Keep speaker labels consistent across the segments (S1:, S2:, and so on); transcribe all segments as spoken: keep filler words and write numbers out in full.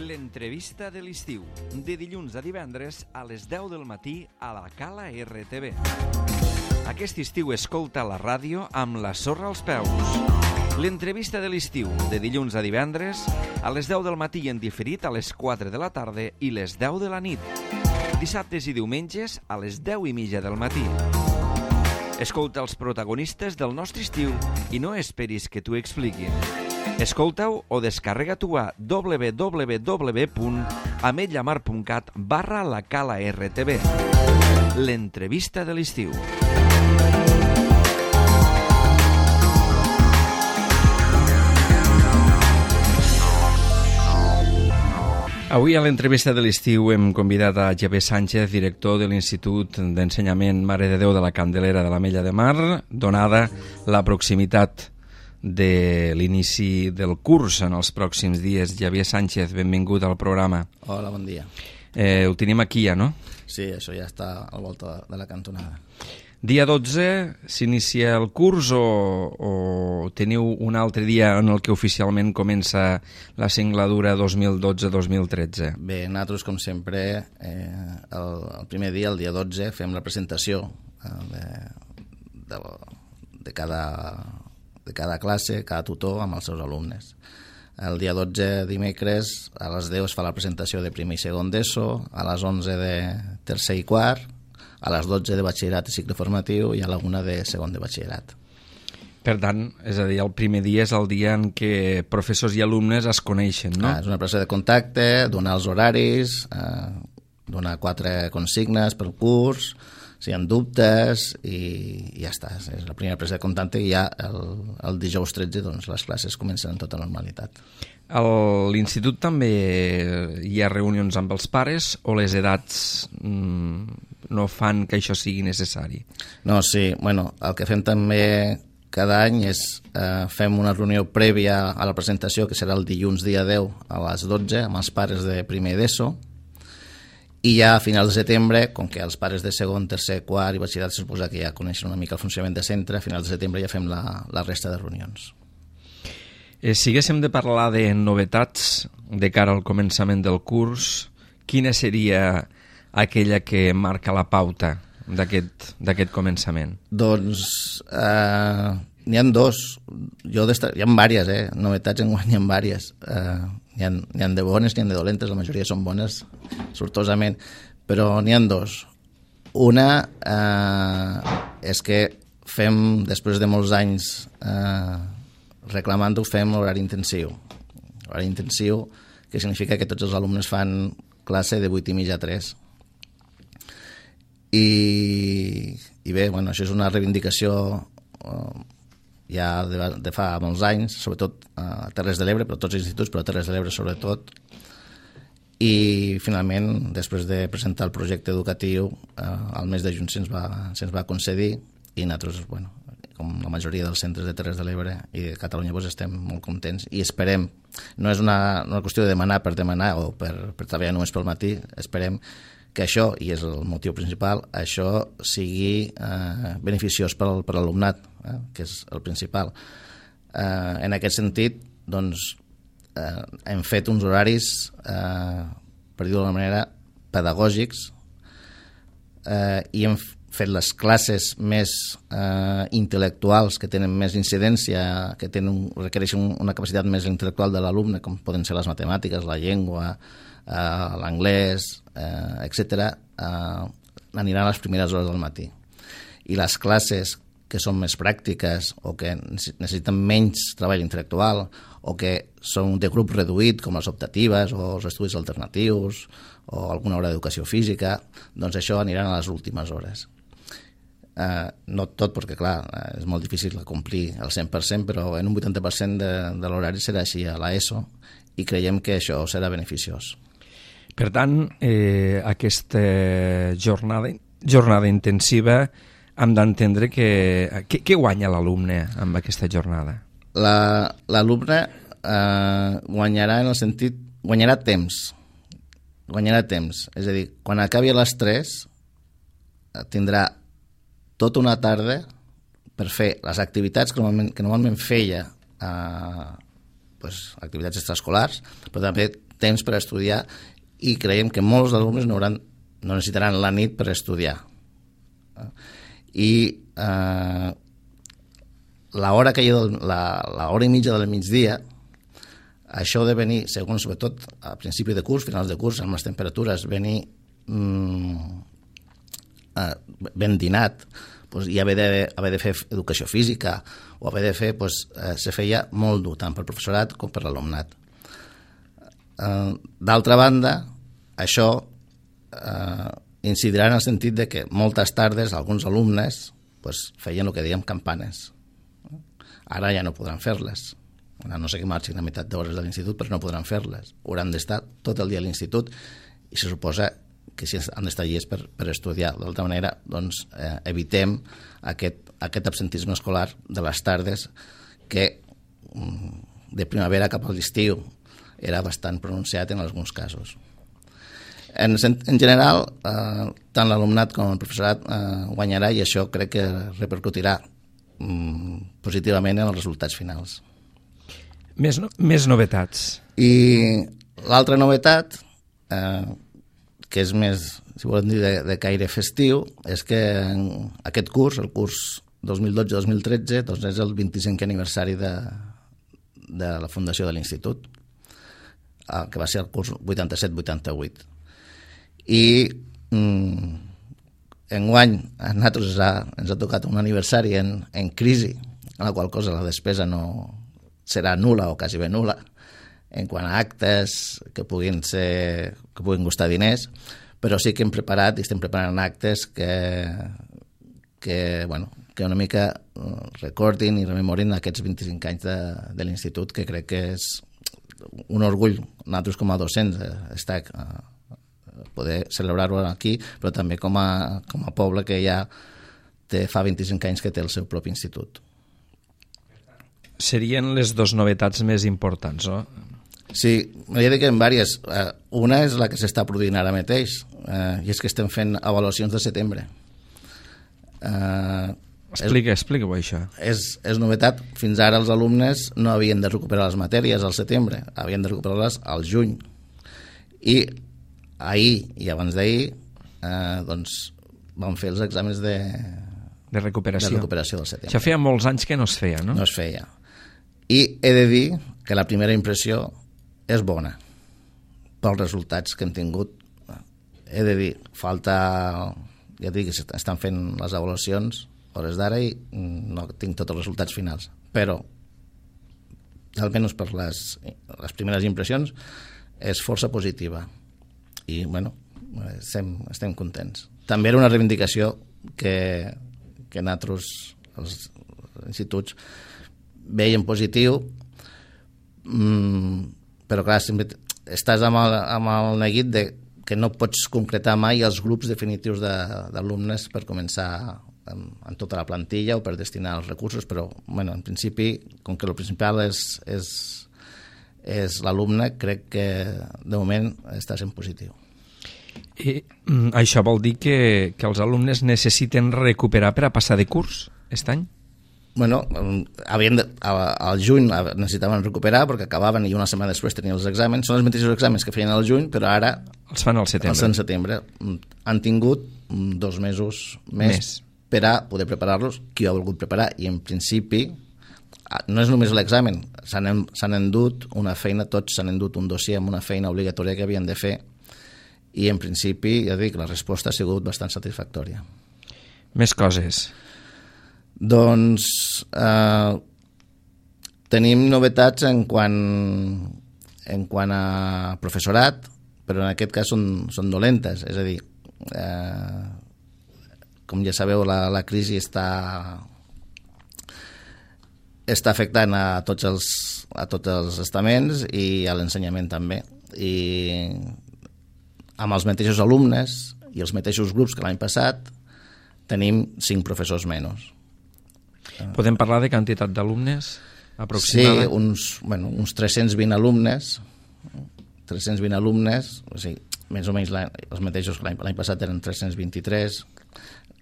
S1: L'entrevista de l'estiu, de dilluns a divendres a les deu del matí a la Cala R T V. Aquest estiu escolta la ràdio amb la sorra als peus. L'entrevista de l'estiu, de dilluns a divendres a les deu del matí en diferit a les quatre de la tarda i les deu de la nit. Dissabtes i diumenges a les deu i mitja del matí. Escolta els protagonistes del nostre estiu i no esperis que t'ho expliquin. Escolta-ho o descarrega-t'ho a w w w punt ametlllamar punt cat barra la Cala R T V. L'entrevista de l'estiu. Avui a l'entrevista de l'estiu hem convidat a Xavier Sánchez, director de l'Institut d'Ensenyament Mare de Déu de la Candelera de l'Ametlla de Mar, donada la proximitat de l'inici del curs en els pròxims dies. Xavier Sánchez, benvingut al programa.
S2: Hola, bon dia.
S1: Eh, ho tenim aquí ja, no?
S2: Sí, això ja està al volta de la cantonada.
S1: Dia dotze s'inicia el curs o, o teniu un altre dia en el que oficialment comença la singladura dos mil dotze dos mil tretze?
S2: Bé, nosaltres, com sempre, eh, el, el primer dia, el dia dotze, fem la presentació eh, de, de, de, cada, de cada classe, cada tutor amb els seus alumnes. El dia dotze, dimecres, a les deu es fa la presentació de primer i segon d'ESO, a les onze de tercer i quart, a les dotze de batxillerat i cicle formatiu i a la una de segon de batxillerat.
S1: Per tant, és a dir, el primer dia és el dia en què professors i alumnes es coneixen, no?
S2: Ah, és una presa de contacte, donar els horaris, eh, donar quatre consignes per curs, si hi ha dubtes i, i ja està. És la primera presa de contacte i ja el, el dijous tretze doncs, les classes comencen en tota normalitat.
S1: A l'institut també hi ha reunions amb els pares o les edats mmm, no fan que això sigui necessari?
S2: No, sí. Bueno, el que fem també cada any és eh, fem una reunió prèvia a la presentació, que serà el dilluns dia deu a les dotze, amb els pares de primer d'ESO, i ja a finals de setembre, com que els pares de segon, tercer, quart i batxillerat se suposa que ja coneixen una mica el funcionament de centre, a finals de setembre ja fem la, la resta de reunions.
S1: Eh, si haguéssim de parlar de novetats de cara al començament del curs, quina seria aquella que marca la pauta d'aquest d'aquest començament?
S2: Doncs eh, n'hi ha dos. Jo hi ha diverses, eh? Novetats en guany n'hi ha diverses. Eh, n'hi ha, n'hi ha de bones, n'hi ha de dolentes, la majoria són bones, sortosament, però n'hi ha dos. Una eh, és que fem, després de molts anys eh, reclamant-ho, fem l'horari intensiu. L'horari intensiu, que significa que tots els alumnes fan classe de vuit i mitja a tres. I, i bé, bueno, això és una reivindicació uh, ja de, de fa molts anys, sobretot a Terres de l'Ebre, però tots els instituts, però a Terres de l'Ebre sobretot. I finalment, després de presentar el projecte educatiu, uh, al mes de juny se'ns va, se'ns va concedir i nosaltres, bueno, com la majoria dels centres de Terres de l'Ebre i de Catalunya, doncs estem molt contents i esperem, no és una, una qüestió de demanar per demanar o per, per treballar només pel matí, esperem que això, i és el motiu principal, això sigui eh, beneficiós per, per l'alumnat, eh, que és el principal. Eh, en aquest sentit, doncs, eh, hem fet uns horaris, eh, per dir-ho d'una manera, pedagògics, eh, i hem fet les classes més eh, intel·lectuals, que tenen més incidència, que tenen, requereixen una capacitat més intel·lectual de l'alumne, com poden ser les matemàtiques, la llengua, Uh, l'anglès, uh, etcètera, uh, aniran a les primeres hores del matí. I les classes que són més pràctiques o que necessiten menys treball intel·lectual o que són de grup reduït, com les optatives o els estudis alternatius o alguna hora d'educació física, doncs això aniran a les últimes hores. Uh, no tot, perquè clar, és molt difícil complir el cent per cent, però en un vuitanta per cent de, de l'horari serà així a l'ESO i creiem que això serà beneficiós.
S1: Per tant, eh, aquesta jornada, jornada intensiva hem d'entendre que... Què, què guanya l'alumne amb aquesta jornada?
S2: La, l'alumne eh, guanyarà en el sentit... Guanyarà temps. Guanyarà temps. És a dir, quan acabi a les tres tindrà tota una tarda per fer les activitats que normalment, que normalment feia, eh, pues, activitats extraescolars, però també temps per estudiar i creiem que molts alumnes no, hauran, no necessitaran la nit per estudiar. I eh, l'hora que hi ha, la, l'hora i mitja del migdia, això de venir, segons sobretot a principi de curs, finals de curs, amb les temperatures, venir mm, eh, ben dinat, pues, i haver de, haver de fer educació física o haver de fer, pues, eh, se feia molt dur, tant pel professorat com per l'alumnat. Eh, d'altra banda, això eh, incidirà en el sentit de que moltes tardes alguns alumnes pues, feien el que dèiem campanes. Ara ja no podran fer-les. No sé que marxin a meitat d'hores de l'institut, però no podran fer-les. Hauran d'estar tot el dia a l'institut i se suposa que si han d'estar llest per, per estudiar. D'altra manera, doncs, eh, evitem aquest, aquest absentisme escolar de les tardes que de primavera cap a l'estiu era bastant pronunciat en alguns casos. En, en general, eh, tant l'alumnat com el professorat eh, guanyarà i això crec que repercutirà mm, positivament en els resultats finals.
S1: Més, no, més novetats.
S2: I l'altra novetat, eh, que és més, si volem dir, de, de caire festiu, és que aquest curs, el curs dos mil dotze dos mil tretze, doncs és el vint-i-cinquè aniversari de, de la fundació de l'institut, eh, que va ser el curs vuitanta-set vuitanta-vuit. I mm, enguany a nosaltres ens ha, ens ha tocat un aniversari en, en crisi, en la qual cosa la despesa no serà nul·la o quasi bé nul·la en quant a actes que puguin ser, que puguin costar diners, però sí que hem preparat i estem preparant actes que, que, bueno, que una mica recordin i rememorin aquests vint-i-cinc anys de, de l'institut, que crec que és un orgull nosaltres com a docents estar, poder celebrar-ho aquí, però també com a, com a poble que ja té, fa vint-i-cinc anys que té el seu propi institut.
S1: Serien les dues novetats més importants, no?
S2: Sí, m'he de dir que en diverses. Una és la que s'està produint ara mateix, eh, i és que estem fent avaluacions de setembre. Eh,
S1: explica, explica-ho, això.
S2: És, és novetat. Fins ara els alumnes no havien de recuperar les matèries al setembre, havien de recuperar-les al juny. I ahir i abans d'ahir eh, doncs vam fer els exàmens de,
S1: de, recuperació.
S2: de recuperació del setembre.
S1: Això feia molts anys que no es feia, no?
S2: No es feia. I he de dir que la primera impressió és bona pels resultats que hem tingut. He de dir, falta, ja dic, estan fent les avaluacions hores d'ara i no tinc tots els resultats finals, però almenys per les, les primeres impressions és força positiva i bueno, estem, estem contents. També era una reivindicació que, que nosaltres, els instituts, veiem positiu, mmm, però clar, sempre estàs amb el, amb el neguit de que no pots concretar mai els grups definitius d'alumnes per començar amb, amb tota la plantilla o per destinar els recursos, però bueno, en principi, com que el principal és, és, és l'alumne, crec que de moment està sent positiu.
S1: I mm, això vol dir que, que els alumnes necessiten recuperar per a passar de curs aquest any?
S2: Bueno, havien de, al juny necessitaven recuperar perquè acabaven i una setmana després tenien els exàmens. Són els mateixos exàmens que feien al juny, però ara
S1: els fan al setembre.
S2: Els fan al setembre. Han tingut dos mesos més, més. per a poder preparar-los, qui ho ha volgut preparar, i en principi no és només l'examen, s'han endut una feina, tots s'han endut un dossier amb una feina obligatòria que havien de fer, i en principi, ja dic, la resposta ha sigut bastant satisfactòria.
S1: Més coses.
S2: Doncs eh, tenim novetats en quant, en quant a professorat, però en aquest cas són, són dolentes, és a dir, eh, com ja sabeu, la, la crisi està, està afectant a tots els, a tots els estaments i a l'ensenyament també, i amb els mateixos alumnes i els mateixos grups que l'any passat tenim cinc professors menys.
S1: Podem parlar de quantitat d'alumnes aproximada?
S2: Sí, uns, bueno, uns tres-cents vint alumnes, tres-cents vint alumnes, o sigui, més o menys els mateixos que l'any passat eren tres-cents vint-i-tres,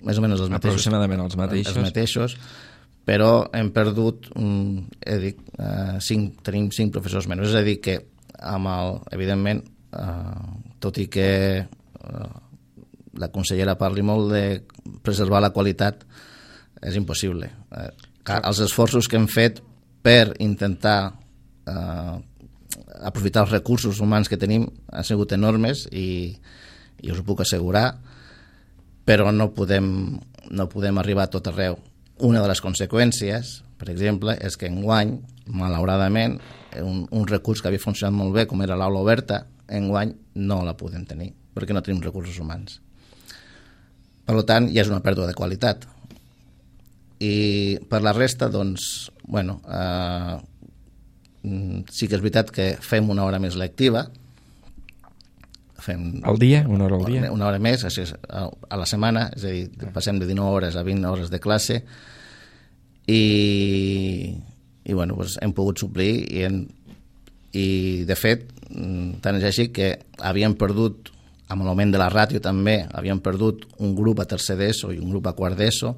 S2: més o menys els mateixos.
S1: Aproximadament els mateixos.
S2: Els mateixos, però hem perdut, he dit, cinc, tenim cinc professors menys, és a dir que amb el, evidentment, eh, tot i que eh, la consellera parli molt de preservar la qualitat, és impossible. Eh, els esforços que hem fet per intentar eh, aprofitar els recursos humans que tenim han sigut enormes i, i us ho puc assegurar, però no podem, no podem arribar a tot arreu. Una de les conseqüències, per exemple, és que enguany, malauradament, un, un recurs que havia funcionat molt bé, com era l'aula oberta, enguany no la podem tenir, perquè no tenim recursos humans. Per tant, ja és una pèrdua de qualitat. I per la resta, doncs, bueno, eh, sí que és veritat que fem una hora més lectiva. Fem
S1: al dia? Una hora al dia?
S2: Una hora més, a la setmana, és a dir, passem de dinou hores a vint hores de classe i, i bueno, doncs hem pogut suplir i, en, i de fet, tant és així que havíem perdut, amb l'augment de la ràtio també, havíem perdut un grup a tercer d'ESO i un grup a quart d'ESO,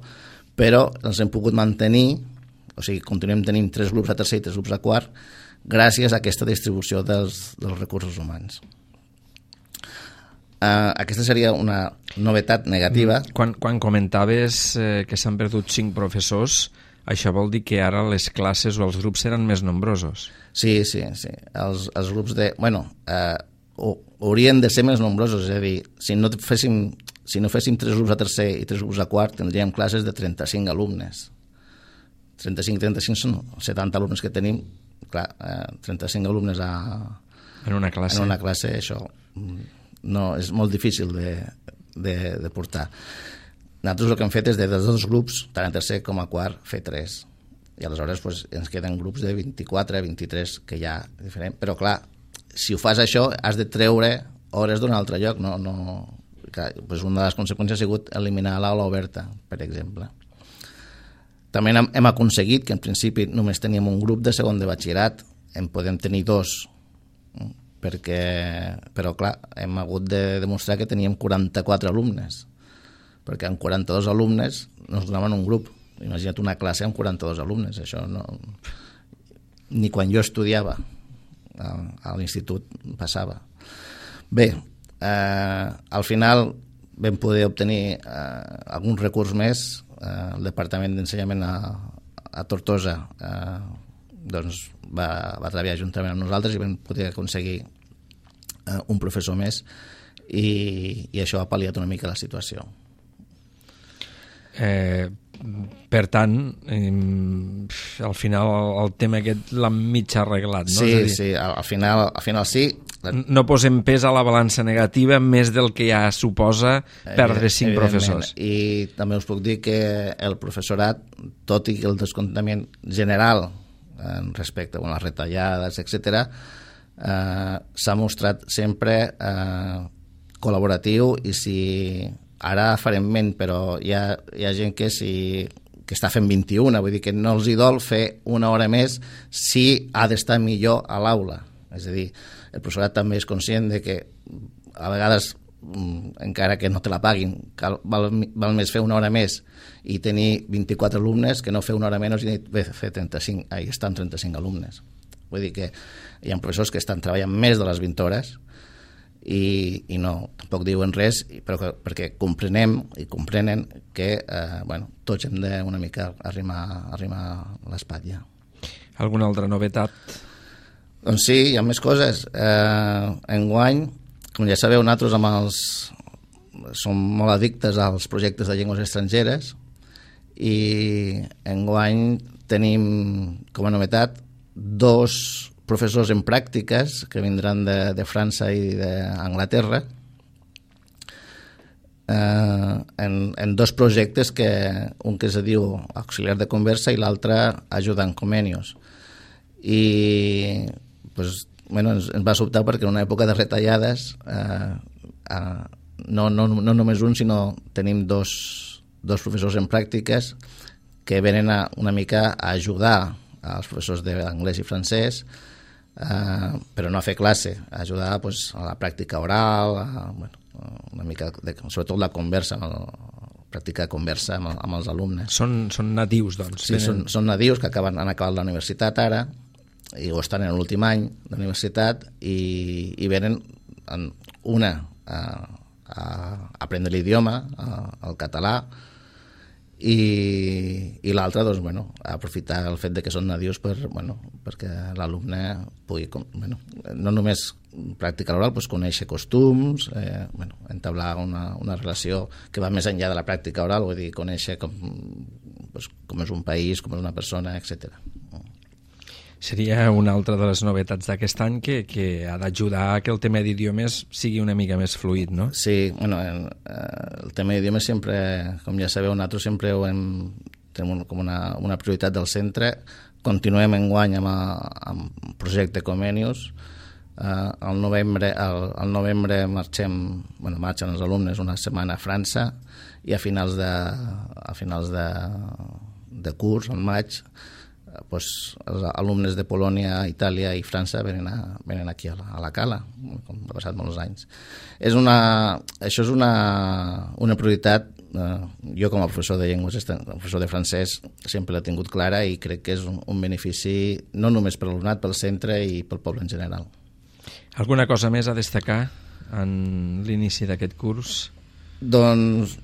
S2: però els hem pogut mantenir, o sigui, continuem tenint tres grups a tercer i tres grups a quart, gràcies a aquesta distribució dels, dels recursos humans. Uh, aquesta seria una novetat negativa.
S1: Quan, quan comentaves eh, que s'han perdut cinc professors, això vol dir que ara les classes o els grups seran més nombrosos?
S2: Sí, sí, sí. Els, els grups de... Bueno, eh, haurien de ser més nombrosos, és a dir, si no féssim, si no féssim tres grups a tercer i tres grups a quart, tindríem classes de trenta-cinc alumnes. trenta-cinc trenta-cinc són setanta alumnes que tenim. Clar, eh, trenta-cinc alumnes a,
S1: en una classe.
S2: En una classe, això... no, és molt difícil de, de, de portar. Nosaltres el que hem fet és de dels dos grups, tant a tercer com a quart, fer tres. I aleshores pues, ens queden grups de vint-i-quatre, vint-i-tres, que ja és diferent. Però clar, si ho fas això, has de treure hores d'un altre lloc. No, no, clar, pues una de les conseqüències ha sigut eliminar l'aula oberta, per exemple. També hem, hem aconseguit que en principi només teníem un grup de segon de batxillerat, en podem tenir dos, perquè, però clar, hem hagut de demostrar que teníem quaranta-quatre alumnes, perquè amb quaranta-dos alumnes nos donaven un grup. Imagina't una classe amb quaranta-dos alumnes, això no... Ni quan jo estudiava a, a l'institut passava. Bé, eh, al final vam poder obtenir eh, algun recurs més. Eh, el Departament d'Ensenyament a, a Tortosa eh, doncs va, va treballar juntament amb nosaltres i vam poder aconseguir eh, un professor més i, i això ha pal·liat una mica la situació.
S1: Eh, per tant, eh, al final el, el tema aquest l'han mig arreglat, no?
S2: Sí,
S1: És a dir,
S2: sí, al, al, final, al final sí.
S1: No posem pes a la balança negativa més del que ja suposa perdre cinc professors.
S2: I també us puc dir que el professorat, tot i que el descontament general respecte a les retallades, etcètera, eh, s'ha mostrat sempre eh, col·laboratiu i si ara farem ment, però hi ha, hi ha gent que, si, que està fent vint-i-una, vull dir que no els hi dol fer una hora més si ha d'estar millor a l'aula. És a dir, el professorat també és conscient de que a vegades, encara que no te la paguin, cal, val, val més fer una hora més i tenir vint-i-quatre alumnes que no fer una hora menys i fer trenta-cinc, ahí estan trenta-cinc alumnes. Vull dir que hi ha professors que estan treballant més de les vint hores i, i no, tampoc diuen res, però que, perquè comprenem i comprenen que eh, bueno, tots hem de una mica arrimar, arrimar l'espatlla.
S1: Alguna altra novetat?
S2: Doncs sí, hi ha més coses. Eh, enguany, com ja sabeu, nosaltres amb els, som molt addictes als projectes de llengües estrangeres i enguany tenim com a novetat dos professors en pràctiques que vindran de, de França i d'Anglaterra eh, en, en dos projectes, que un que es diu Auxiliar de Conversa i l'altre Ajudant Comenius. I pues, bueno, ens, ens va sobtar perquè en una època de retallades eh, eh, no, no, no només un, sinó tenim dos, dos professors en pràctiques que venen a, una mica a ajudar als professors d'anglès i francès, eh, però no a fer classe, a ajudar pues, a la pràctica oral, a, bueno, una mica de, sobretot la conversa, la pràctica de conversa amb, amb els alumnes.
S1: Són, són nadius, doncs.
S2: Sí, són, són nadius que acaben, han acabat la universitat ara i o estan en l'últim any d'universitat i, i venen en una a, a aprendre l'idioma, el català, i, i l'altra doncs, bueno, aprofitar el fet de que són nadius per, bueno, perquè l'alumne pugui, bueno, no només pràctica oral, doncs conèixer costums, eh, bueno, entablar una, una relació que va més enllà de la pràctica oral, vull dir, conèixer com, doncs, com és un país, com és una persona, etcètera.
S1: Seria una altra de les novetats d'aquest any que, que ha d'ajudar a que el tema d'idiomes sigui una mica més fluid, no?
S2: Sí, bueno, el, el tema d'idiomes sempre, com ja sabeu, nosaltres sempre ho hem, tenim com una, una prioritat del centre. Continuem enguany amb, amb el projecte Comenius. Uh, al novembre, al, al novembre marxem, bueno, marxen els alumnes una setmana a França i a finals de, a finals de, de curs, al maig, pues, els alumnes de Polònia, Itàlia i França venen, a, venen aquí a la, a la Cala, com ha passat molts anys. És una, això és una, una prioritat. Eh, jo com a professor de llengües, professor de francès, sempre l'he tingut clara i crec que és un, un benefici no només per l'alumnat, pel centre i pel poble en general.
S1: Alguna cosa més a destacar en l'inici d'aquest curs?
S2: Doncs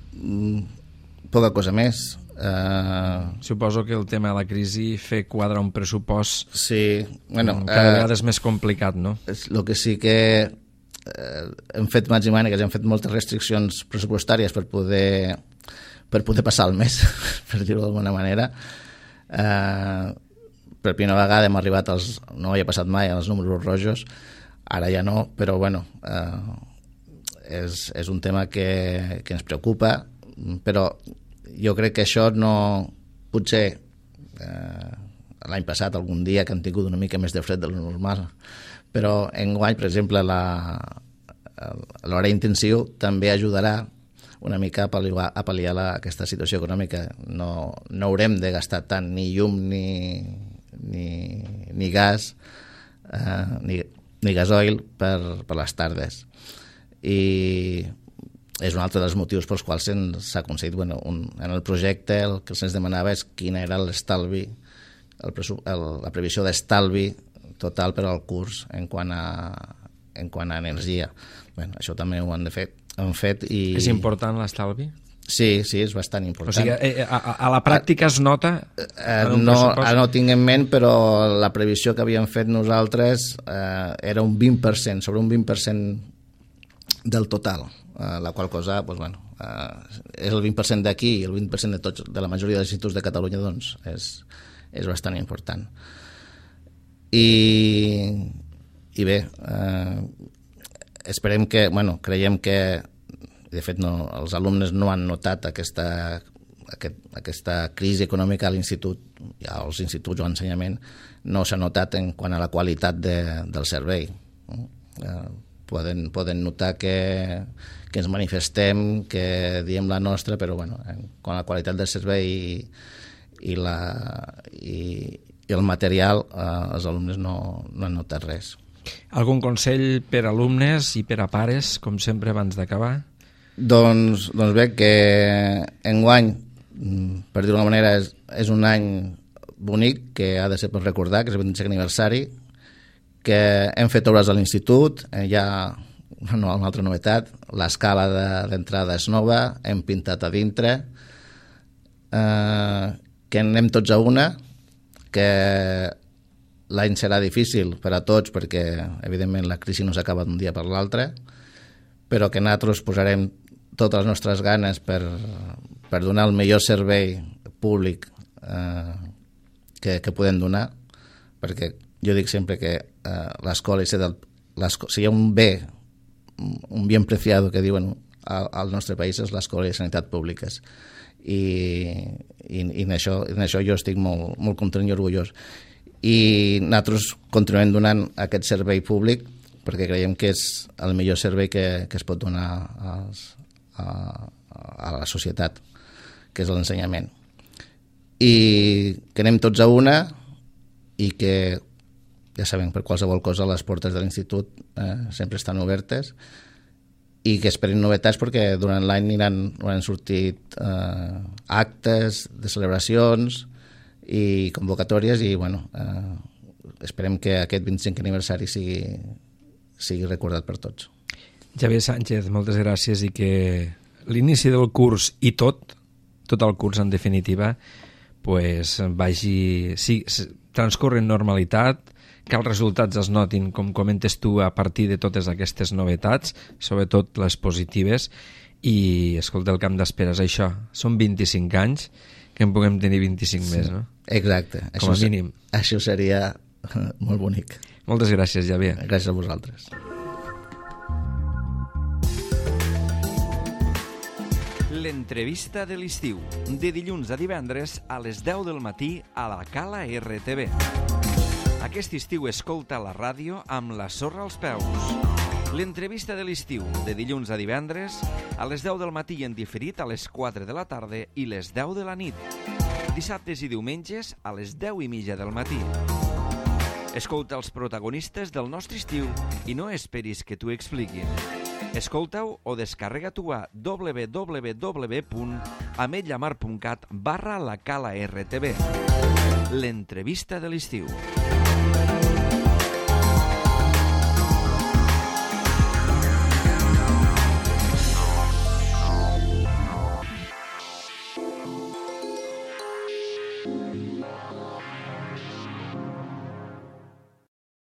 S2: poca cosa més.
S1: Uh, Suposo que el tema de la crisi fer quadrar un pressupost
S2: sí, bueno,
S1: cada vegada uh, és més complicat, no?
S2: El que sí que eh, hem fet mans i mànigues, hem fet moltes restriccions pressupostàries per poder, per poder passar el mes, per dir-ho d'alguna manera. Uh, per primera vegada hem arribat als, no havia passat mai, als números rojos, ara ja no, però bueno, uh, és, és un tema que, que ens preocupa, però jo crec que això no... Potser eh, l'any passat, algun dia que han tingut una mica més de fred de lo normal, però enguany, per exemple, la, l'hora intensiu també ajudarà una mica a pal·liar, a pal·liar la, aquesta situació econòmica. No, no haurem de gastar tant ni llum ni, ni, ni gas, eh, ni, ni gasoil per, per les tardes. I és un altre dels motius pels quals s'ha aconseguit, bueno, un, en el projecte el que se'ns demanava és quin era l'estalvi, el, el, la previsió d'estalvi total per al curs en quant a, en quant a energia. Bueno, això també ho han de fer, han fet i...
S1: És important l'estalvi?
S2: Sí, sí, és bastant important.
S1: O sigui, a, a la pràctica es nota?
S2: Eh, no, ara no ho tinc en ment, però la previsió que havíem fet nosaltres eh, era un vint per cent, sobre un vint per cent del total. Uh, la qual cosa, pues, bueno, uh, és el vint per cent d'aquí i el vint per cent de tots, de la majoria dels instituts de Catalunya, doncs és, és bastant important. I, i bé, uh, esperem que, bueno, creiem que, de fet, no, els alumnes no han notat aquesta, aquest, aquesta crisi econòmica a l'institut, ja als instituts o a l'ensenyament, no s'ha notat en quant a la qualitat de, del servei. Uh, poden, poden notar que que ens manifestem, que diem la nostra, però bueno, quan la qualitat del servei i, i, la, i, i el material, eh, els alumnes no, no han notat res.
S1: Algun consell per a alumnes i per a pares, com sempre, abans d'acabar?
S2: Doncs, doncs bé, que enguany, per dir-ho d'una manera, és, és un any bonic que ha de ser per recordar, que és el vint-i-cinquè aniversari, que hem fet obres a l'institut, eh, ja... No, una altra novetat, l'escala d'entrada és nova, hem pintat a dintre, eh, que anem tots a una, que l'any serà difícil per a tots perquè evidentment la crisi no s'acaba d'un dia per l'altre, però que nosaltres posarem totes les nostres ganes per, per donar el millor servei públic eh, que, que podem donar, perquè jo dic sempre que eh, l'escola, si hi ha un bé, un bien preciado que diuen al, al nostre país és l'escola i sanitat públiques i, i, i en, això, en això jo estic molt, molt content i orgullós i nosaltres continuem donant aquest servei públic perquè creiem que és el millor servei que, que es pot donar als, a, a la societat, que és l'ensenyament, i que anem tots a una i que ja sabem, per qualsevol cosa les portes de l'institut eh, sempre estan obertes i que esperin novetats perquè durant l'any aniran, han sortit eh, actes de celebracions i convocatòries i bueno, eh, esperem que aquest vint-i-cinquè aniversari sigui, sigui recordat per tots.
S1: Javier Sánchez, moltes gràcies, i que l'inici del curs i tot, tot el curs en definitiva, pues, vagi, sí, transcorre en normalitat, que els resultats es notin, com comentes tu, a partir de totes aquestes novetats, sobretot les positives, i, escolta, el camp d'espera és això, són vint-i-cinc anys, que en puguem tenir vint-i-cinc sí, més, no?
S2: Exacte.
S1: Com a
S2: això,
S1: mínim.
S2: Això seria molt bonic.
S1: Moltes gràcies, Javier.
S2: Gràcies a vosaltres.
S1: L'entrevista de l'estiu, de dilluns a divendres a les deu del matí a la Cala R T V. Aquest estiu escolta la ràdio amb la sorra als peus. L'entrevista de l'estiu, de dilluns a divendres a les deu del matí en diferit a les quatre de la tarda i les deu de la nit. Dissabtes i diumenges a les deu i mitja del matí. Escolta els protagonistes del nostre estiu i no esperis que t'ho expliquin. Escolta-ho o descarrega-t'ho a w w w punt ametlllamar punt cat barra la Cala R T V. L'entrevista de l'estiu.